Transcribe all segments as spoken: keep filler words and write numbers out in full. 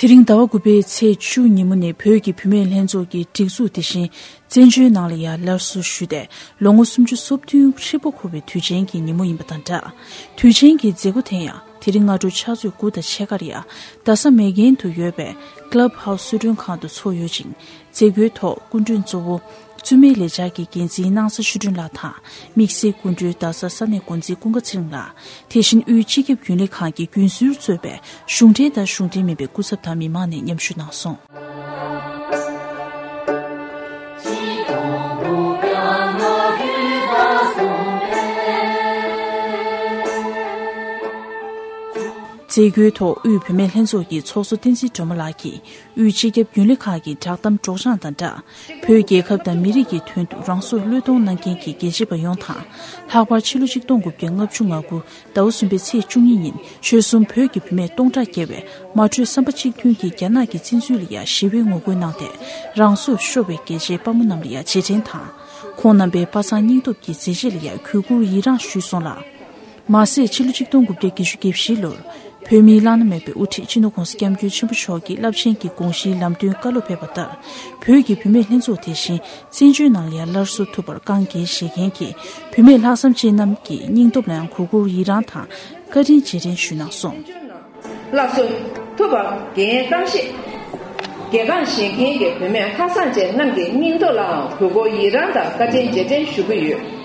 དེ་རིང་ཟླ་བ་དགུ་པའི་ཚེས་བཅུ་ཉིན་མོ་ནི་བོད་ཀྱི་བུད་མེད་ལྷན་ཚོགས་ཀྱི་སྒྲིག་འཛུགས་དེ་བཞིན་བཙན་བྱོལ་ནང་ལ་ཡང་སླར་གསོ་ཞུས་ཏེ་ལོ་ངོ་སུམ་ཅུ་སོ་བདུན་ཧྲིལ་པོ་འཁོར་བའི་དུས་ཆེན་གྱི་ཉིན་མོ་ཡིན་པ་དང་སྦྲགས། དུས་ཆེན་གྱི་མཛད་སྒོ་དེ་ཡང་དེ་རིང་སྔ་དྲོ་ཕྱག་ཚོད་དགུ་དང་ཕྱེད་ཀར་ཡང་རྡ་ས་མེག་གྷན་དུ་ཡོད་པའི་Club House གསོལ་མགྲོན་ཁང་དུ་འཚོགས་ཡོད་ཅིང་། མཛད་སྒོའི་ཐོག་སྐུ་མགྲོན་གཙོ་བོ་བཙུན་མའི་ལས་འཆར་གྱི་འགན་འཛིན་སྣང་ས་ཆོས་སྒྲོན་ལགས་དང་། དམིགས་བསལ་སྐུ་མགྲོན་རྡ་ས་ས་གནས་འགོ་འཛིན་ཀུན་དགའ་ཚེ་རིང་ལགས། དེ་བཞིན་དབུས་སྤྱི་ཁྱབ་རྒྱུན་ལས་ཁང་གི་རྒྱུན་ཟུར་གཙོས་པའི་གཞུང་འབྲེལ་དང་གཞུང་འབྲེལ་མིན་པའི་སྐུ་ཚབ་དང་མི་མང་ནས་མཉམ་ཞུགས་གནང་སོང་། མཛད་སྒོའི་ཐོག་དབུས་བུད་མེད་ལྷན་ཚོགས་ཀྱི་ཚོགས་གཙོ་བསྟན་འཛིན་སྒྲོལ་མ་ལགས་ཀྱིས། དབུས་སྤྱི་ཁྱབ་རྒྱུན་ལས་ཁང་གི་བསྒྲགས་གཏམ་སྒྲོག་སྦྱང་དང་སྦྲགས། བོད་རྒྱལ་ཁབ་དང་མི་རིགས་ཀྱི་དོན་དུ་རང་སྲོག་བློས་གཏོང་གནང་མཁན་གྱི་རྒྱལ་གཅེས་པ་ཡོངས་དང་། ལྷག་པར་ཕྱི་ལོ་ཆིག་སྟོང་དགུ་བརྒྱ་ལྔ་བཅུ་ང་དགུ་ཟླ་བ་གསུམ་པའི་ཚེས་བཅུ་གཉིས་ཉིན་ཆོལ་གསུམ་བོད་ཀྱི་བུད་མེད་སྟོང་ཕྲག་བརྒལ་བས་མ་གྲོས་བསམ་པ་གཅིག་མཐུན་གྱིས་རྒྱ་ནག་གི་བཙན་འཛུལ་ལ་ཡང་ཞི་བའི་ངོ་རྒོལ་གནང་སྟེ་རང་སྲོག་ཤོར་བའི་རྒྱལ་གཅེས་དཔའ་མོ་རྣམས་ལ་ཡང་རྗེས་དྲན་དང་། ཁོང་རྣམ་པའི་པ་སངས་སྙིང་སྟོབས་ཀྱི་མཛད་རྗེས་ལ་ཡང་གུས་བཀུར་ཡི་རངས་ཞུས་སོང་ལ། མ་ཟད་ཕྱི་ལོ་ཆིག་སྟོང་དགུ་བརྒྱ་བརྒྱད་ཅུ་གྱ་བཞི་ལོར་བོད་མིའི་བླ་ན་མེད་པའི་དབུ་ཁྲིད་སྤྱི་ནོར་༧གོང་ས་༧སྐྱབས་མགོན་ཆེན་པོ་མཆོག་གིས་རླབས་ཆེན་གྱི་དགོངས་གཞིའི་ལམ་སྟོན་བཀའ་སློབ་ཕེབས་པ་ལྟར། བོད་ཀྱི་བུད་མེད་ལྷན་ཚོགས་དེ་བཞིན་བཙན་བྱོལ་ནང་ལ་ཡང་སླར་གསོ་ཐུབ་པར་དཀའ་ངལ་བཞེས་མཁན་གྱི་བུད་མེད་ལྷག་བསམ་ཅན་རྣམས་ཀྱི་སྙིང་སྟོབས་ལ་ཡང་གུས་བཀུར་ཡི་རངས་དང་བཀའ་དྲིན་རྗེས་དྲན་ཞུས་གནང་སོང་། སླར་གསོ་ཐུབ་པར་འགན་གཏམ་བཤད། རྒྱལ་ཁམས་བཞེངས་མཁན་གྱི་བུད་མེད་ལྷག་བསམ་ཅན་རྣམས་ཀྱི་སྙིང་སྟོབས་ལའང་གུས་བཀུར་ཡི་རངས་དང་བཀའ་དྲིན་རྗེས་དྲན་ཞུ་གི་ཡོད།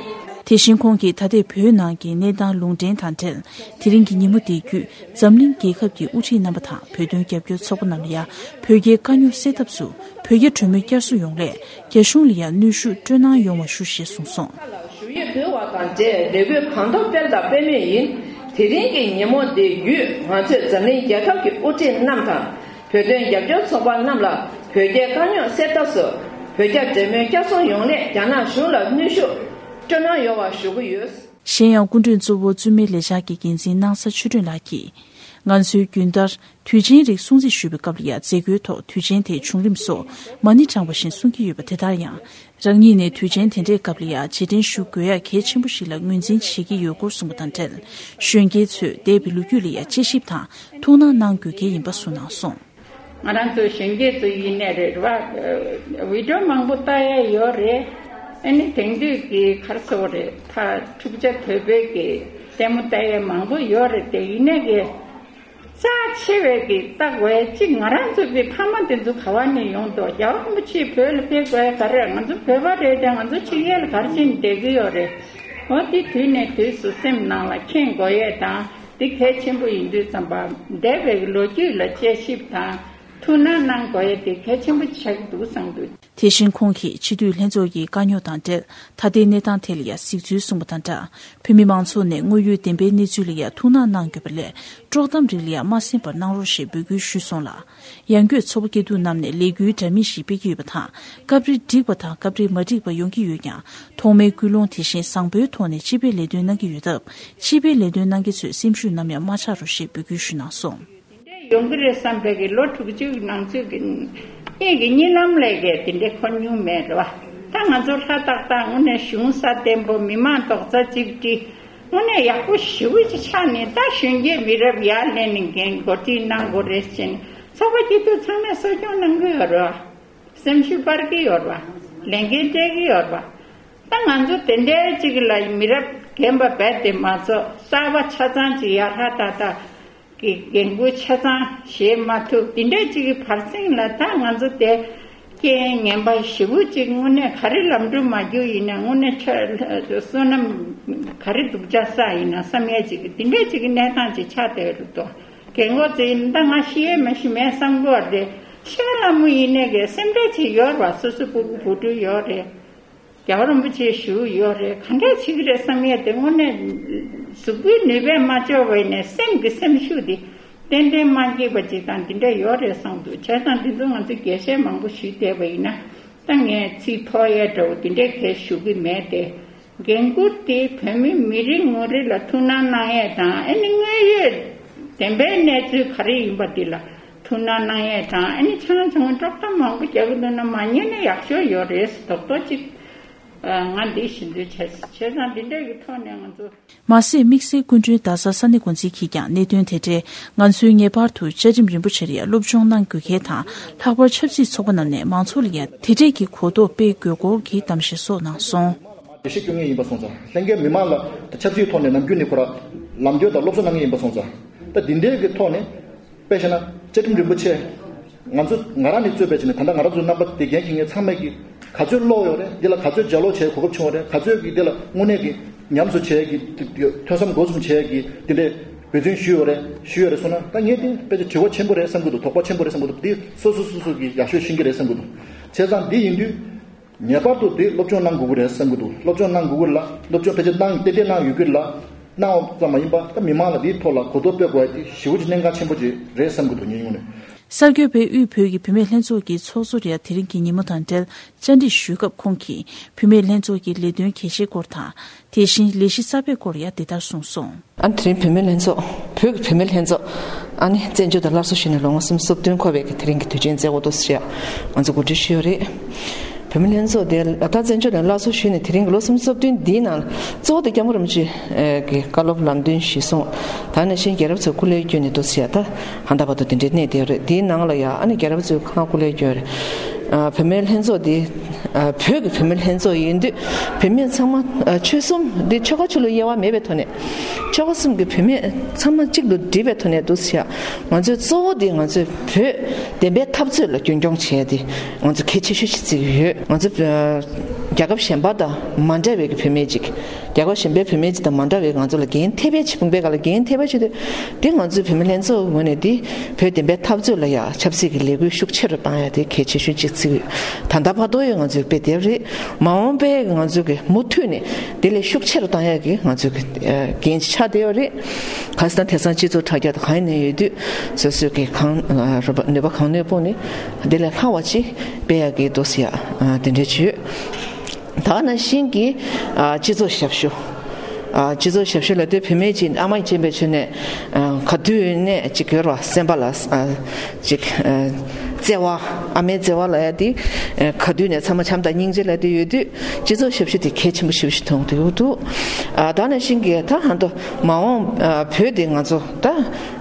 དེ་བཞིན་ཁོང་གིས་ད་ལྟའི་བོད་ནང་གི་གནས་སྟངས་ལུང་འདྲེན་དང་འབྲེལ། དེ་རིང་གི་ཉིན་མོ་འདི་བརྒྱུད་འཛམ་གླིང་རྒྱལ་ཁབ་ཀྱི་དབུ་ཁྲིད་རྣམ་པ་དང་བོད་དོན་རྒྱབ་སྐྱོར་ཚོགས་པ་རྣམས་ལ་ཡང་བོད་རྒྱའི་དཀའ་རྙོག་སེལ་ཐབས་སུ་བོད་རྒྱ་གྲོས་མོལ་བསྐྱར་གསོ་ཡོང་སླད་རྒྱ་གཞུང་ལ་ཡང་གནོན་ཤུགས་སྤྲོད་གནང་ཡོང་བ་ཞུ་ཞེས་གསུངས་སོང་། ཞུ་ཡིག་ཕུལ་བ་དང་འབྲེལ་ལས་འགུལ་གང་ཐུབ་སྤེལ་དང་སྤེལ་མུས་ཡིན། དེ་རིང་གི་ཉིན་མོ་འདི་བརྒྱུད་ང་ཚོས་འཛམ་གླིང་རྒྱལ་ཁབ་ཀྱི་དབུ་ཁྲིད་རྣམས་དང་། བོད་དོན་རྒྱབ་སྐྱོར་ཚོགས་པ་རྣམས་ལ་བོད་རྒྱའི་དཀའ་རྙོག་སེལ་ཐབས་སུ་བོད་རྒྱ་འབྲེལ་མོལ་བསྐྱར་གསོ་ཡོང་སླད་རྒྱ་ནག་གཞུང་ལ་གནོན་ཤུགས་སྤྲོད་གནང་ཡོང་བ་ཞུ་གི་ཡོད། གཞན་ཡང་སྐུ་མགྲོན་གཙོ་བོ་བཙུན་མའི་ལས་འཆར་གྱི་འགན་འཛིན་སྣང་ས་ཆོས་སྒྲོན་ལགས་ཀྱིས། ང་ཚོའི་རྒྱུན་ལྟར་དུས་ཆེན་རིགས་སྲུང་བརྩི་ཞུས་པའི་སྐབས་ལ་ཡང་མཛད་སྒོའི་ཐོག་དུས་ཆེན་དེའི་བྱུང་རིམ་སོགས་མ་ཎི་བགྲངས་པ་བཞིན་གསུང་གི་ཡོད་པ་དེ་ལྟར་ཡང་། རང་ཉིད་ནས་དུས་ཆེན་དེ་འདྲའི་སྐབས་ལ་ཡང་རྗེས་དྲན་ཞུ་དགོས་ཡ་གལ་ཆེན་པོ་ཞིག་ལ་ངོས་འཛིན་བྱེད་ཀྱི་ཡོད་སྐོར་གསུངས་པ་དང་འབྲེལ། གཞོན་སྐྱེས་ཚོས་འདས་པའི་ལོ་རྒྱུས་ལ་ཡང་དཔྱད་ཞིབ་དང་ཐུགས་སྣང་གནང་དགོས་གལ་ཡིན་པ་གསུངས་གནང་སོང་། ང་རང་ཚོ་གཞོན་སྐྱེས་ཚོ་ཡིན་ནའི་རེད་བ། བི་ཌི་ཡོ་མང་པོ་ལྟ་ཡ་ཡོད་རེད། ཨ་ནི་དེང་དུས་ཀྱི་ག་རེ་ཟེར་དགོས་རེད། ད་འཁྲུག་ཆ་དོད་པོའི་གི་ལྟད་མོ་ལྟ་ཡ་མང་པོ་ཡོད་རེད་དེ། ཡིན་ནའི་གི་རྩ་ཆེ་བའི་གི་ལྟ་དགོས་ཡ་གཅིག་ང་རང་ཚོ་གི་ཕ་མ་དེ་ཚོ་ག་བ་ནས་ཡོང་འདུག་རྒྱལ་བ་རིན་པོ་ཆེ་བོད་ལ་ཕེབས་དགོས་ཡ་ག་རེ། ང་ཚོ་བོད་པ་རེད་དེ། ང་ཚོ་ཕྱི་རྒྱལ་ལ་ག་རེ་བྱས་ནས་བསྡད་ཀྱི་ཡོད་རེད། འོ་དེ་དུས་ནས་དུས་སུ་སེམས་ནང་ལ་མཁྱེན་དགོས་ཡས་དང་། འདི་གལ་ཆེན་པོ་ཡིན་དུས་ཙམ་པ། འདས་པའི་ལོ་རྒྱུས་ལ་དཔྱད་ཞིབ་དང་ཐུགས་སྣང་གནང་དགོས་ཡ་དེ་གལ་ཆེན་པོ་ཆགས་ཀྱི་འདུག་བསམ་འདུག་དེ་བཞིན་ཁོང་གིས་སྤྱི་འཐུས་ལྷན་ཚོགས་ཀྱི་དཀའ་རྙོག་དང་འབྲེལ་ད་ལྟའི་གནས་སྟངས་ཐད་ལ་ཡང་གཟིགས་ཚུལ་གསུངས་པ་དང་སྦྲགས། བོད་མི་མང་ཚོགས་ནས་དངོས་ཡོད་བདེན་པའི་གནས་ཚུལ་ལ་ཡང་ཐུགས་སྣང་གནང་དགོས་པ་ལས་དཀྲོག་གཏམ་རིགས་ལ་ཡང་མ་གསན་པར་གནང་རོགས་ཞེས་འབོད་སྐུལ་ཞུས་སོང་ལ། ཡང་སྒོས་ཚོགས་པ་སྐྱིད་སྡུག་རྣམས་ནས་ལས་འགུལ་འདྲ་མིན་ཞིག་སྤེལ་གྱི་ཡོད་པ་དང་། སྐབས་རེ་འགྲིག་པ་དང་སྐབས་རེ་མ་འགྲིག་པ་ཡོང་གི་ཡོད་ཀྱང་། ཐོག་མའི་ཀུན་སློང་དེ་བཞིན་བཟང་པོའི་ཐོག་ནས་སྤྱི་པའི་ལས་དོན་གནང་གི་ཡོད་སྟབས། སྤྱི་པའི་ལས་དོན་གནང་མཁན་ཚོས་སེམས་ཤུགས་ནམ་ཡང་མ་ཆག་རོགས་ཞེས་འབོད་སྐུལ་ཞུས་གནང་སོང་། དེ་འདྲ་ཡོང་གི་རེད་བསམ་པའི་གི་ལོ་དྲུག་ཅུ་ནང་ཚུད་ཀྱི་གཉིད་ཀྱི་གཉིད་ལམ་ལས་ཀྱི་དེ་འདྲ་འཁོར་མྱོང་མེད་རེད་བ། ད་ང་ཚོ་ཧྲ་ཏག་ཏག་དངོས་གནས་གཞུང་ས་བརྟན་པོ། མི་མང་རྡོག་རྩ་གཅིག་སྒྲིལ། དངོས་གནས་ཡག་པོ་ཞེ་པོ་ཅིག་ཆགས་ནས། ད་གཞོན་སྐྱེས་མི་རབས་ཡར་སླེབས་ནས་འགན་འགོ་ཁྲིད་གནང་དགོས་རེད་ཟེར་ནས་ཚོགས་པ་སྐྱིད་སྡུག་ཚང་མས་གསོ་སྐྱོང་གནང་གི་ཡོད་རེད་བ། སེམས་ཤུགས་སྤར་གྱི་ཡོད་རེད་བ། ལས་འགན་སྤྲད་ཀྱི་ཡོད་རེད་བ། ད་ང་ཚོ་དེ་འདྲའི་ཅིག་ལ་མི་རབས་རྒན་པ་རྦད་དེ་མ་ཚོགས། གསར་པ་ཆ་ཚང་ཅིག་ཡར་ཧྲ་ཏག་ཏག་གི་འགན་འཁུར་ཆ་ཚང་བཞེས་མ་ཐུབ། དེ་འདྲའི་ཅིག་གི་བར་གསེང་ལ་ད་ང་ཚོ་དེ་རྐྱེན་ངན་པ་ཞེ་པོ་ཅིག་དངོས་གནས་ག་རེ་ལམ་འགྲོ་མ་རྒྱུག་ཡིན་ན། དངོས་གནས་ཆ་བསོད་ནམས་ག་རེ་སྡུག་ཅག་བསགས་ཡིན་ན་བསམ་ཡས་ཅིག་གི་དེ་འདྲའི་ཅིག་གི་གནས་སྟངས་ཅིག་ཆགས་བསྡད་ཡོད་འདུག་རྒན་གོག་ཚོ་ཡིན་ན་ད་ང་ཤི་ཡས་མ་ཤི་མེད་བསམ་གྱི་ཡོད་རེད། ཤི་བ་ལ་མོ་ཡིན་ནས་གི་སེམས་ཁྲལ་ཅིག་ཡོད་རེད་བ། སོ་སོ་སྤུ་གུ་བུ་ཕྲུག་ཡོད་རེད། རྒྱལ་བ་རིན་པོ་ཆེ་བཞུགས་ཡོད་རེད། ག་འདྲས་བྱེད་ཀྱི་རེད་བསམ་ཡས་དེ་དངོས་གནས་གཟུགས་པོའི་ནུས་པས་མ་ལྕོགས་པ་ཡིན་ནའི་སེམས་ཀྱི་སེམས་ཤུགས་དེ་ཏན་ཏན་མ་སྐྱེས་པ་ཅིག་དང་དེ་འདྲ་ཡོད་རེད་བསམ་འདུག་བྱས་ཙང་དེ་ཚོ་ང་ཚོས་རྒྱས་བཤད་མང་པོ་ཞུས་བསྡད་པ་ཡིན་ན་ད་ངས་ཚིག་ཐོགས་ཡས་འདྲ་བོ་དེ་འདྲས་གས་ཞུ་གི་མེད་དེ། འགན་འཁུར་དེ་བོད་མི་མི་རེ་ངོ་རེ་ལ་ཐུགས་སྣང་གནང་ཡས་དང་། ཨ་ནི་དངོས་ཡོད་བདེན་པའི་གནས་ཚུལ་ག་རེ་ཡིན་པ་དེ་ལ་ཐུགས་སྣང་གནང་ཡས་དང་། ཨ་ནི་ཆང་ཆུང་དཀྲོག་གཏམ་མང་པོ་རྒྱག་གི་འདུག་ན་མ་ཉན་ན་ཡག་ཤོས་ཡོད་རེད། རྡོག་རྡོག་ཅིག་ ང་འདི་ཞིབ་འཇུག་བྱས། བྱས་ཙང་འདི་འདྲ་གི་ཐོག་ནས་ང་ཚོ། མ་ཟད། དམིགས་བསལ་སྐུ་མགྲོན་རྡ་ས་ས་གནས་འགོ་འཛིན་གྱིས་ཀྱང་གནད་དོན་དེ་འབྲེལ་ང་ཚོའི་ངེས་པར་དུ་བཅའ་ཁྲིམས་རིམ་པ་ཆེར་ཡང་སློབ་སྦྱོང་གནང་དགོས་གལ་དང་། ལྷག་པར་ཆབ་སྲིད་ཚོགས་པ་རྣམས་ནས་མང་ཚོགས་ལ་ཡང་དེ་འབྲེལ་གྱི་གོ་རྟོགས་སྤེལ་དགོས་སྐོར་གྱི་གཏམ་བཤད་སོགས་གནང་སོང་། འགྲེལ་བཤད་སྐྱོན་ངེས་ཡིན་པ་སོང་ཙང་། ལྷན་རྒྱས་མི་མང་ལ་ཆབ་སྲིད་ཐོག་ནས་ནམ་རྒྱུན་ནས་ཁོ་ར་ལམ་སྟོན་དང་སློབ་གསོ་གནང་གི་ཡིན་པ་སོང་ཙང་། ད་འདི་འདྲའི་གི་ཐོག་ནས་དཔེ་བཞག་ན་བཅའ་ཁྲིམས་རིན་པོ་ཆེ། ང་ཚོ་ང་རང་ནས་གཙོས་པའི་བྱས་ནས། ད་ལྟ་ང་རང་ཚོ་རྣམ་པ་དེ་འགན་འཁྱེར་མཁན་ཚང་མས་ཀྱི་ག་ཚོད་ཀློག་ཡོད་རེད། འདི་ལ་ག་ཚོད་ལྗགས་ཀློག་བྱེད་གོ་སྐབས་བྱུང་བ་རེད། ག་ཚོད་ཀྱི་འདི་ལ་དངོས་གནས་ཀྱི་ཉམས་སུ་བྱས་ཀྱི་ཐོས་བསམ་སྒོམ་གསུམ་བྱས་ཀྱི་དེ་འདྲའི་འབད་བརྩོན་ཞུས་ཡོད་རེད། ཞུས་ཡོད་རེད་སོང་ན། ད་ངས་དེ་དཔེ་ཆ་དྲི་བ་ཆེན་པོ་རེད་བསམ་གྱི་འདུག་དོགས་པ་ཆེན་པོ་རེད་བསམ་གྱི་འདུག་འདི་སོ་སོ་སོ་སོ་གིས་ཡག་ཤོས་ཤེས་ཀྱི་རེད་བསམ་གྱི་འདུག་བྱས་ཙང་འདི་ཡིན་དུས། ངེས་པར་དུ་འདི་སློབ་སྦྱོང་གནང་དགོས་ཀྱི་རེད་བསམ་གྱི་འདུག་སློབ་སྦྱོང་གནང་དགོས་ཀྱི་ལ། སློབ་སྦྱོང་ཕལ་ཆེར་གནང་ཏན་ཏན་གནང་ཡོད་ཀྱི་ལ། གནང་བ་ཙམ་མ་ཡིན་པ། ད་མི་མང་ལ་འདིའི་ཐོག་ལ་གོ་རྟོགས་སྤེལ་དགོས་ཡ་དེ་ཞེ་པོ་ཅིག་གནད་འགག་ཆེན་པོ་ཅིག་རེད་བསམ་གྱི་འདུག་ངའི་ངོས་ནས། གསར་འགོད་པས་དབུས་བོད་ཀྱི་བུད་མེད་ལྷན་ཚོགས་ཀྱི་ཚོགས་གཙོར་ཡང་དེ་རིང་གི་ཉིན་མོ་དང་འབྲེལ་བཅར་འདྲི་ཞུས་སྐབས། ཁོང་གིས་བུད་མེད་ལྷན་ཚོགས་ཀྱི་ལས་དོན་གལ་ཆེའི་སྐོར་དང་། དེ་བཞིན་ལས་གཞི་གསར་པའི་སྐོར་ཡང་འདི་ལྟར་གསུངས་སོང་། ཨ་ནི་དེ་རིང་བུད་མེད་ལྷན་ཚོགས། བོད་ཀྱི་བུད་མེད་ལྷན་ཚོགས། ཨ་ནི་བཙན་བྱོལ་དུ་སླར་གསོ་ཞུས་ནས་ལོ་ངོ་སུམ་ཅུ་སོ་བདུན་འཁོར་བའི་གི་དེ་རིང་གི་དུས་ཆེན་མཛད་སྒོ་དུ་ཞིག་ང་ཚོ་གོ་སྒྲིག་ཞུས་ཡོད་རེད། བུད་མེད་ལྷན་ཚོགས་དེ་ད་བཙན་བྱོལ་ནས་སླར་གསོ་ཞུས་ནས་དེ་རིང་གི་ལོ་སུམ་ཅུ་སོ་བདུན་འདིའི་ནང་གཙོ་བོ་དེ་སྐྱབས་མགོན་རིན་པོ་ཆེ་གི་བཀའ་སློབ་ལམ་སྟོན་གཞིར་བཟུང་། ད་ནང་བཞིན་རྒྱལ་རབས་ཚོའི་སྐུ་ལས་བསྐྱོན་ནས་དུ་ཞིག་ད་ཧ་ད་བར་དུ་དེ་འདྲའི་གནས་བསྡད་ཡོད་རེད། དེའི་ནང་ལ་ཡང་ཨ་ནི་རྒྱལ་རབས་ཚོའི་ཁང་སྐུ་ལས་བསྐྱོན་རེད། ཨ། བུད་མེད་ལྷན་ཚོགས་འདི། ཨ། བོད་ཀྱི་བུད་མེད་ལྷན་ཚོགས་ཡིན་དུས་བུད་མེད་ཚང་མ། ཨ། ཆོལ་གསུམ་འདི་ཆོལ་ཁ་ཆོས་ལུགས་དབྱེ་བ་མེད་པའི་ཐོག་ནས། ཆོལ་ཁ་གསུམ་གྱི་བུད་མེད་ཚང་མ་གཅིག་ཏུ་སྒྲིལ་བའི་ཐོག་ནས་འདུག་ཟེར་ཡ། ང་ཚོའི་གཙོ་བོ་འདི་ང་ཚོའི་བོད་བདེན་པའི་འཐབ་རྩོད་ལ་རྒྱུན་འཁྱོངས་བྱས་ཏེ་ང་ཚོ་གལ་ཆེ་ཤོས་ཤིག་བརྩི་གི་ཡོད། ང་ཚོ་རྒྱལ་ཁབ་གཞན་པ་དང་མ་འདྲ་བའི་གི་བུད་མེད་ཅིག་རྒྱལ་ཁབ་གཞན་པའི་བུད་མེད་ཅིག་དང་མ་འདྲ་བའི་ང་ཚོ་ལ་འགན་ཐེབས་པའི་ཕྱི་དཔུང་པའི་སྒང་ལ་འགན་ཐེབས་པའི་ཆེད་དུ། དེ་ང་ཚོའི་བུད་མེད་ལྷན་ཚོགས་ངོས་ནས་དེ་བོད་བདེན་པའི་འཐབ་རྩོད་ལ་ཡ་ཆབ་སྲིད་ཀྱི་ལས་འགུལ་ཤུགས་ཆེ་རུ་བཏང་ཡ་དེ་གལ་ཆེ་ཤོས་ཅིག་བརྩི་གི་ཡོད། ད་ལྟ་བར་དུ་ཡང་ང་ཚོའི་དཔེ་དེབ་རེད། མ་འོངས་པའི་ང་ཚོའི་གི་མུ་མཐུད་ནས་དེ་ལས་ཤུགས་ཆེ་རུ་བཏང་ཡ་གི་ང་ཚོའི་གི་འགན་ཆགས་བསྡད་ཡོད་རེད། ག་ཟེར་ན་དེང་སང་སྤྱི་ཚོགས་དྲ་རྒྱ་དང་གང་ཡིན་ནས་ཡོད་དུས་སོ་སོའི་གི་གང་རུ་བ་ནུས་པ་གང་ནུས་སྤུངས་ནས་དེ་ལས་ལྷག་པ་ཅིག་སྤེལ་ཡ་གི་འདུག་ཟེར་ཡ་དེ་འདྲ་བྱོས། ད་ནང་བཞིན་གྱི་ཨ་སྤྱི་ཚོགས་ཞབས་ཞུ། ཨ་སྤྱི་ཚོགས་ཞབས་ཞུ་ལབ་དུས་བུད་མེད་ཅིག་ཨ་མ་ཡིན་པའི་ཆོས་ནས་ཨ་ག་དུས་ནས་ཅིག་ཡོད་ར་སེམས་པ་ལ་ཨ་ཅིག་ཨ་བརྩེ་བ། ཨ་མའི་བརྩེ་བ་ལབ་ཡ་དེ་ཨ་ག་དུས་ནས་ཚང་མ་བྱམས་དང་སྙིང་རྗེ་ལབ་དུས་ཡོད་དུས་སྤྱི་ཚོགས་ཞབས་ཞུ་དེ་གལ་ཆེན་པོ་ཞེ་པོ་ཞིག་མཐོང་གི་འདུག་ཨ་ད་ནང་བཞིན་གྱི་ད་ཧ་ཏོ་མ་འོངས་ཨ་བོད་དེ་ང་ཚོ་ད་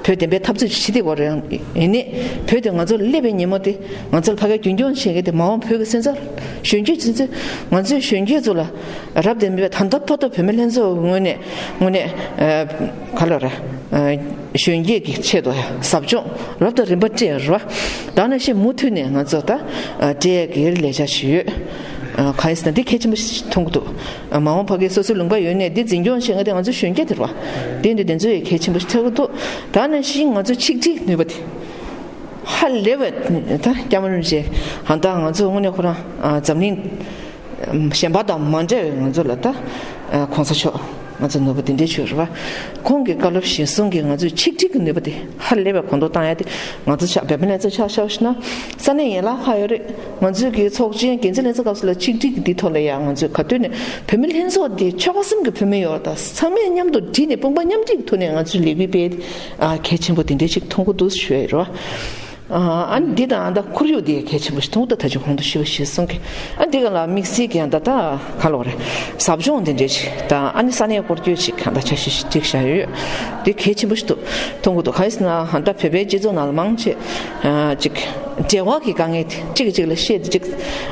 བོད་བདེན་པའི་འཐབ་རྩོད་ཅིག་བྱེད་དེ་བ་རེད། ཡིན་ནའི་བོད་དེ་ང་ཚོ་སླེབས་པའི་ཉིན་མོ་དེ་ང་ཚོ་ལ་ཕ་གིར་རྒྱུན་སྐྱོང་བྱེད་མཁན་དེ་མ་འོངས་བོད་ཀྱི་སོན་རྩ་གཞོན་སྐྱེས་ཚོ་ཚོ་ང་ཚོའི་གཞོན་སྐྱེས་ཚོ་ལ་རབ་དང་རིམ་པས་ད་ལྟ་བར་དུ་བུད་མེད་ལྷན་ཚོགས་ངོས་ནས་ངོས་ནས་ཨ་ག་ལ་རེད། ཨ་གཞོན་སྐྱེས་ཀྱི་ཆེད་དུ་ཟབ་སྦྱོང་རབ་དང་རིམ་པ་སྤྲད་ར། ད་ནང་བཞིན་མུ་མཐུད་ནས་ང་ཚོ་ད་ཨ་སྤྲད་ཡག་གི་ལས་འཆར་ཞིག་ཡོད། ཨ་གང་ཡིན་ཟེར་ན་འདི་གལ་ཆེན་པོ་ཞིག་མཐོང་གི་འདུག་ཨ་མ་འོངས་ཕ་གིའི་སོ་སོའི་ལུང་པ་ཡོད་ནས་འདི་འཛིན་སྐྱོང་བྱེད་མཁན་དེ་ང་ཚོ་གཞོན་སྐྱེས་དེ་རེད་བ། དེ་འདི་དེ་ཚོ་ཡང་གལ་ཆེན་པོ་ཞིག་ཐོན་གི་འདུག་ད་ནང་བཞིན་ང་ཚོ་ཆིག་སྒྲིལ་ནུས་པ་དེ་ཧ་ལས་པ་ད་སྐྱབས་མགོན་རིན་པོ་ཆེ་ཧ་ད་ང་ཚོ་དངོས་གནས་ཁོ་རང་ཨ་འཛམ་གླིང་གཞན་པ་དང་མ་འདྲ་བའི་ང་ཚོ་ལ་ད་ཨ་གོང་ས་མཆོག་ང་ཚོ་ནོར་བུ་དེ་འདྲའི་ཆོས་རེད་བ། ཁོང་གི་བཀའ་སློབ་གཞིར་བཟུང་གིས་ང་ཚོས་ཆིག་སྒྲིལ་གྱི་ནུས་པ་དེ་ཧ་ལས་པའི་གོང་མཐོར་བཏང་ཡ་དེ་ང་ཚོ་ཆ་བོད་མི་ལྷན་ཚོགས་ཆ་བཞག་ཞུ་ན་ས་གནས་ཡན་ལག་ཁག་ཡོད་རེད། ང་ཚོའི་གི་ཚོགས་ཆེན་འགན་འཛིན་ལྷན་ཚོགས་སྐབས་སུ་ལ་ཆིག་སྒྲིལ་གྱི་འདི་ཐོག་ལ་ཡང་ང་ཚོས་ག་དུས་ནས་བོད་མི་ལྷན་ཚོགས་འདི་ཆོལ་ཁ་གསུམ་གྱི་བུད་མེད་ཡོད་རེད། ད་ཚང་མས་མཉམ་དུ་བསྒྲིལ་ནས་དཔུང་པ་མཉམ་སྒྲིལ་གྱི་ཐོག་ནས་ང་ཚོས་ལས་འགུལ་སྤེལ་ཨ་གལ་ཆེན་པོ་དེ་འདྲའི་ཞིག་མཐོང་གི་འདུག་ཞུ་ཡ་ཡིན་རོ། ཨ་ནི་འདི་དང་ད་ཁོར་ཡུག་འདི་གལ་ཆེན་པོ་ཞིག་མཐོང་གི་འདུག་ད་ཅི་གོང་དུ་ཞུས་པ་ཞིག་གསུང་གི་ཨ་འདི་ག་ལ་དམིགས་བསལ་གྱི་ཡང་ད་ད་ག་ལོག་རེད། ཟབ་སྦྱོང་འདི་འདྲའི་ཞིག་དང་ཨ་ནི་ས་གནས་སྐོར་སྐྱོད་ཞིག་གང་ད་འཆར་གཞི་ཞིག་བསྒྲིགས་བཞག་ཡོད། འདི་གལ་ཆེན་པོ་ཞིག་ཏུ་མཐོང་གི་འདུག་གང་ཡིན་ཟེར་ན་ཧ་ད་བོད་པའི་སྤྱི་ཚོགས་ནང་ལ་མང་ཆེ་ཨ་ཅིག་འབྲེལ་བ་གི་དཀའ་ངལ་དེ་གཅིག་གིས་གཅིག་ལ་བཤད་དེ་ཅིག་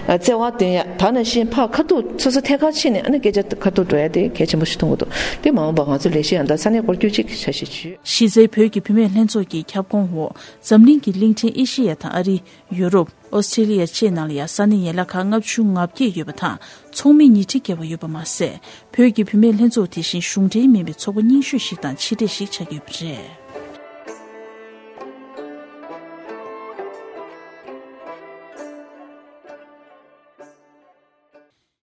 ཨ་བརྩེ་བ་བཏོན་ཡ་ད་ནང་བཞིན་ཕར་ཁ་ཐུག་སོ་སོ་ཐད་ཀར་ཕྱིན་ནས་ཨ་ནི་སྐད་ཆ་ཁ་ཐུག་འགྲོ་ཡ་དེ་གལ་ཆེན་པོ་ཞིག་མཐོང་གི་འདུག་དེ་མ་འོངས་པ་ང་ཚོ་ལས་གཞི་ཡང་ད་ས་གནས་སྐོར་སྐྱོད་ཅིག་འཆར་གཞི་བྱོས། གཞི་རྩའི་བོད་ཀྱི་བུད་མེད་ལྷན་ཚོགས་ཀྱི་ཁྱབ་ཁོངས་འོག་འཛམ་གླིང་གི་གླིང་ཕྲན་ཨེ་ཤེ་ཡ་དང་ཨ་རི། ཡུ་རོབ། ཨོ་སི་ཀྲི་ལི་ཡ་བཅས་ནང་ལ་ཡང་ས་གནས་ཡན་ལག་ཁག་ལྔ་བཅུ་ང་བརྒྱད་ཡོད་པ་དང་ཚོགས་མི་ཉིས་ཁྲི་བརྒལ་བ་ཡོད་པ་མ་ཟད། བོད་ཀྱི་བུད་མེད་ལྷན་ཚོགས་དེ་བཞིན་གཞུང་འབྲེལ་མིན་པའི་ཚོགས་པ་རྙིང་ཤོས་ཤིག་དང་ཕྱི་འབྲེལ་ཞིག་ཆགས་ཡོད་པ་རེད།